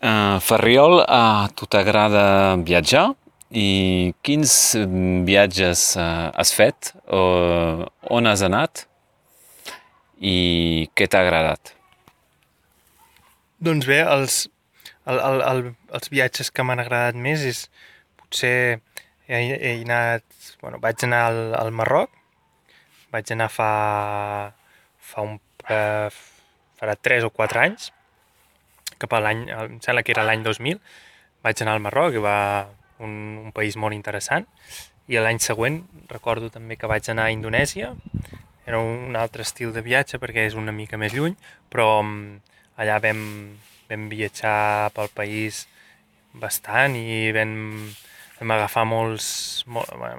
Ferriol, a tu t'agrada viatjar? I quins viatges has fet? On has anat? I què t'ha agradat? Doncs bé, els viatges que m'han agradat més és potser he anat, bueno, vaig anar al Marroc, vaig anar fa farà 3 o 4 anys, cap a l'any, em sembla que era l'any 2000, vaig anar al Marroc, i va un país molt interessant, i l'any següent recordo també que vaig anar a Indonèsia. Era un altre estil de viatge perquè és una mica més lluny, però allà vam viatjar pel país bastant i vam agafar vam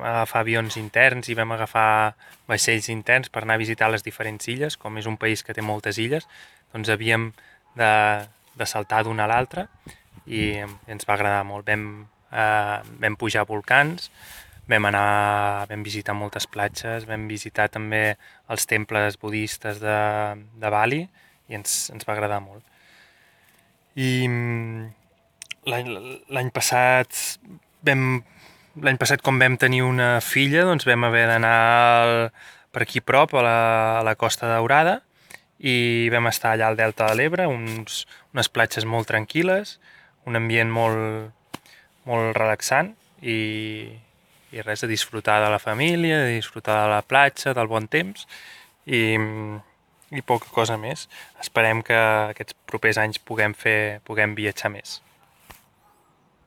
agafar avions interns i vam agafar vaixells interns per anar a visitar les diferents illes. Com és un país que té moltes illes, doncs havíem de, de saltar d'una a l'altra i ens va agradar molt. Vam pujar volcans, vam visitar moltes platges, vam visitar també els temples budistes de Bali i ens va agradar molt. I l'any passat vam l'any passat com vam tenir una filla, doncs vam haver d'anar per aquí prop a la Costa Daurada i vam estar allà al Delta de l'Ebre, unes platges molt tranquil·les, un ambient molt relaxant i res, de disfrutar de la família, de disfrutar de la platja, del bon temps i poca cosa més. Esperem que aquests propers anys puguem viatjar més.